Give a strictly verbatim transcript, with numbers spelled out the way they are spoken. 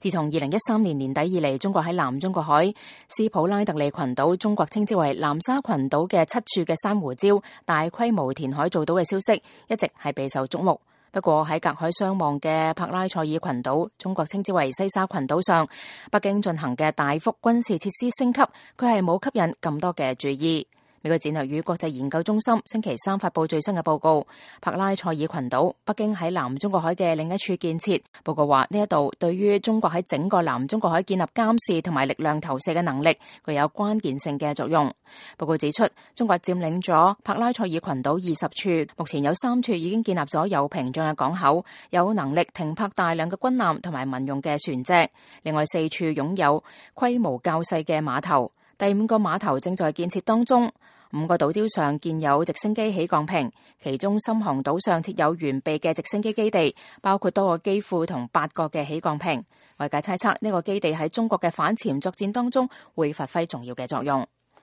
自從二零一三年年底以嚟，中國喺南中國海斯普拉特利群島，中國稱之為南沙群島嘅七處嘅珊瑚礁大規模填海造島嘅消息，一直係備受矚目。不過喺隔海相望嘅柏拉賽爾群島，中國稱之為西沙群島上，北京進行嘅大幅軍事設施升級，佢係冇吸引咁多嘅注意。美國戰略與國際研究中心星期三發佈最新嘅報告，柏拉賽爾群島，北京喺南中國海嘅另一處建設。報告話呢一度對於中國喺整個南中國海建立監視同埋力量投射嘅能力具有關鍵性嘅作用。報告指出，中國佔領咗柏拉賽爾群島二十處，目前有三處已經建立咗有屏障嘅港口，有能力停泊大量嘅軍艦同埋民用嘅船隻。另外四處擁有規模較細嘅碼頭，第五個碼頭正在建設當中。五個島礁上建有直升機起降坪，其中深航島上設有完備嘅直升機基地，包括多個機庫同八個嘅起降坪。外界猜測呢個基地喺中國嘅反潛作戰當中會發揮重要嘅作用。